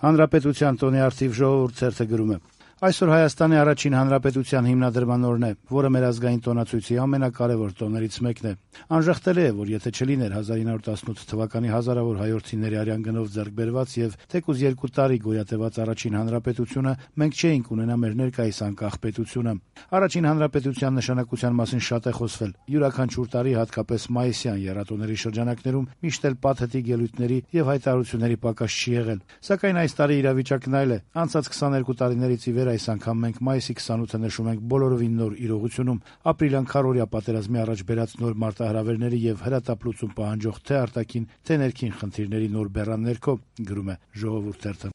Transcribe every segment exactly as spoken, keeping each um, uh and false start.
Հանրապետության տոնի արդիվ ժողովուրդ ցերթը գրում է. Այսօր Հայաստանի առաջին հանրապետության հիմնադրման օրն է, որը մեր ազգային տոնացույցի ամենակարևոր տոներից մեկն է։ Անժխտելի է, որ եթե չլիներ հազար ինը հարյուր տասնութ թվականի հազարավոր հայրենիների արյան գնով ձեռք բերված եւ թեկուզ երկու տարի գոյատևած առաջին հանրապետությունը, մենք չէինք ունենա մեր ներկայիս անկախ պետությունը։ Առաջին հանրապետության նշանակության մասին շատ է խոսվել։ Յուրաքանչյուր տարի, հատկապես մայիսյան եռատոների շրջանակներում, միշտ էլ պաթետիկ ելույթների եւ հայտարարությունների պակաս չի եղել։ Սակայն այս տարի իրավիճակն այլ է։ Անցած քսաներկու տարիներից ի վեր այս անգամ մենք մայիսի քսանութը նշում ենք բոլորովին նոր իրողությունում, ապրիլյան քառօրյա պատերազմի առաջ բերած նոր մարտահրավերների եւ հրատապլուծում պահանջող թե արտաքին, թե ներքին խնդիրների նոր բեռան ներքո, գրում է Ժողովուրդ թերթը։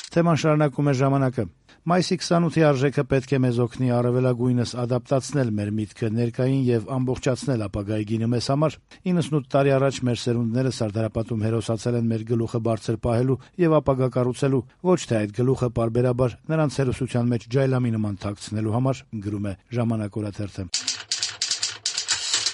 Թեման շարունակում է Ժամանակը։ Մայիսի քսանութի արժեքը պետք է մեզ օգնի առավելագույնս ադապտացնել մեր միտքը ներկային եւ ամբողջացնել ապագայի գինը մեզ համար։ իննսունութ տարի առաջ մեր սերունդները Սարդարապատում հերոսացել են մեր գլուխը բարձր պահելու եւ ապագա կառուցելու, ոչ թե այդ գլուխը պարբերաբար նրանց հերոսության մեջ ջայլամի նման թաքցնելու համար, գրում է Ժամանակ օրաթերթը։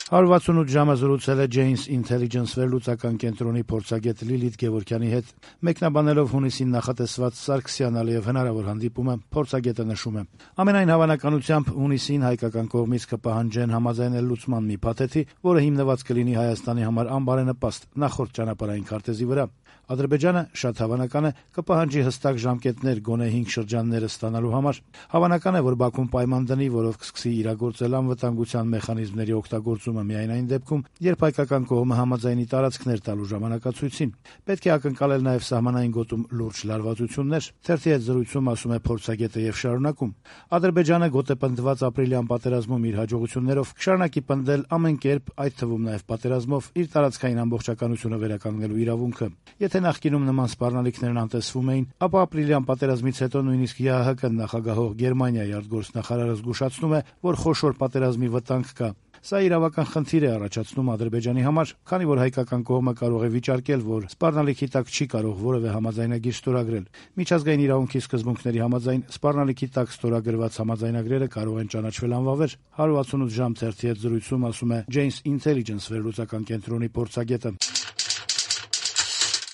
հարյուր վաթսունութ ժամը զրուցել է Janes Intelligence վերլուծական կենտրոնի փորձագետ Լիլիթ Գևորգյանի հետ։ Մեկնաբանելով հունիսին նախատեսված Սարգսյան-Ալիև հնարավոր հանդիպումը, փորձագետը նշում է. Ամենայն հավանականությամբ հունիսին հայկական կողմից կպահանջեն համաձայնել լուծման մի փաթեթի, որը հիմնված կլինի Հայաստանի համար անբարենպաստ նախորդ ճանապարհային քարտեզի վրա։ Ադրբեջանը, շատ հավանական է, կպահանջի հստակ ժամկետներ գոնե հինգ շրջանները ստանալու համար։ Հավանական է, որ Բաքուն պայման դնի, որով կսկսի իրագործել անվտանգության մեխանիզմների օգտագործումը միայն այն դեպքում, երբ հայկական կողմը համաձայնի տարածքներ տալու ժամանակացույցին։ Պետք է ակնկալել նաև սահմանային գոտում լուրջ լարվածություններ։ Թերթի հետ զրույցում ասում է փորձագետը եւ շարունակում. Ադրբեջանը գոտեպնդված ապրիլյան պատերազմում իր հաջողություններով կշարունակի պնդել ամեն կերպ, այդ թվում նաև պատերազմով, իր տարածքային ամբողջականությունը վերականգնելու իրավունքը։ Եթե նախկինում նման սպառնալիքներն անտեսվում էին, ապա ապրիլյան պատերազմից հետո նույնիսկ ԵԱՀԿ նախագահող Գերմանիայի արտգործնախարարը զգուշացնում է, որ խոշոր պատերազմի վտանգ կա։ Սա իրավական խնդիր է առաջացնում Ադրբեջանի համար, քանի որ հայկական կողմը կարող է վիճարկել, որ սպառնալիքի տակ չի կարող որևէ համաձայնագիր ստորագրել։ Միջազգային իրավունքի սկզբունքների համաձայն սպառնալիքի տակ ստորագրված համաձայնագրերը կարող են ճանաչվել անվավեր։ հարյուր վաթսունութ ժամ թերթի հետ զրույցում ասում է Janes Intelligence վերլուծական կենտրոնի փորձագետը։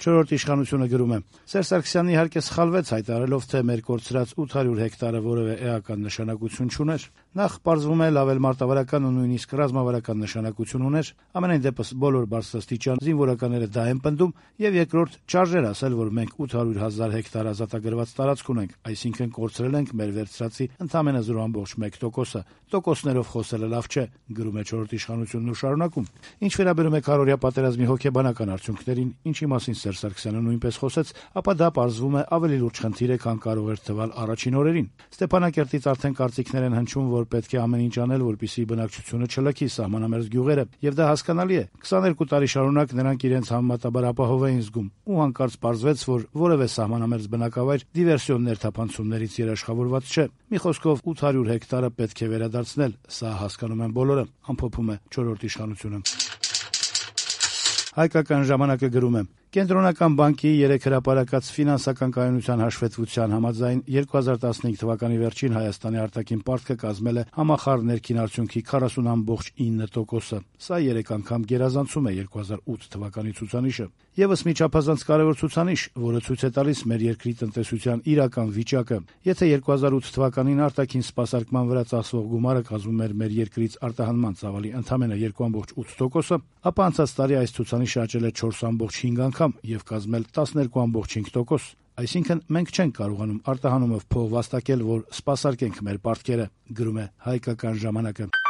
Չորրորդ իշխանությունը գրում է. Սերժ Սարգսյանն իհարկե սխալվեց հայտարարելով, թե մեր կորցրած ութ հարյուր հեկտարը որևէ էական նշանակություն չուներ։ Նախ պարզվում է լավ էլ մարտավարական ու նույնիսկ ռազմավարական նշանակություն ուներ, ամենայն դեպս բոլոր բարձրաստիճան զինվորականները դա են պնդում, եւ երկրորդ չարժեր ասել, որ մենք ութ հարյուր հազար հեկտար ազատագրված տարածք ունենք, այսինքն կորցրել ենք մեր վերցրածի ընդամենը զրո կόμμα մեկ տոկոսը։ Տոկոսներով խոսելը լավ չէ, գրում է չորրորդ իշխանությունն ու շարունակում. Ինչ վերաբերում է քառօրյա պատերազմի հոգեբանական արդյունքներին, ինչի մասին Սերժ Սարգսյանը նույնպես խոսեց, ապա դա պարզվում է ավելի լուրջ խնդիր է, քան կարող էր թվալ առաջին օրերին։ Ստեփանակերտից արդեն կարծիքներ են հնչում, որ պետք է ամեն ինչ անել, որպեսզի բնակչությունը չլքի սահմանամերձ գյուղերը, եւ դա հասկանալի է։ քսաներկու տարի շարունակ նրանք իրենց համեմատաբար ապահով էին զգում, ու հանկարծ պարզվեց, որ որևէ սահմանամերձ բնակավայր դիվերսիոն ներթափանցումներից երաշխավորված չէ։ Մի խոսքով ութ հարյուր հեկտարը պետք է վերադարձնել, սա հասկանում են բոլորը, ամփոփում է չորրորդ իշխանությունը։ Հայկական ժամանակը գրում է. Կենտրոնական բանկի երեք հրապարակած ֆինանսական կայունության հաշվետվության համաձայն երկու հազար տասնհինգ թվականի վերջին Հայաստանի արտաքին պարտքը կազմել է համախառն ներքին արդյունքի քառասուն կόμμα ինը տոկոսը։ Սա երեք անգամ գերազանցում է երկու հազար ութ թվականի ցուցանիշը։ Եվս մի չափազանց կարևոր ցուցանիշ, որը ցույց է տալիս մեր երկրի տնտեսության իրական վիճակը։ Եթե երկու հազար ութ թվականին արտաքին սպասարկման վրա ծախսվող գումարը կազմում էր մեր երկրից արտահանման ծավալի ընդամենը երկու կόμμα ութ տոկոսը, ապա անցած տարի այս ցուցանիշը աճել է չորս կόμμα հինգ անգամ եւ կազմել տասներկու կόμμα հինգ տոկոս։ Այսինքն մենք չենք կարողանում արտահանումով փող վաստակել, որ սպասարկենք մեր պարտքերը, գրում է Հայկական ժամանակը։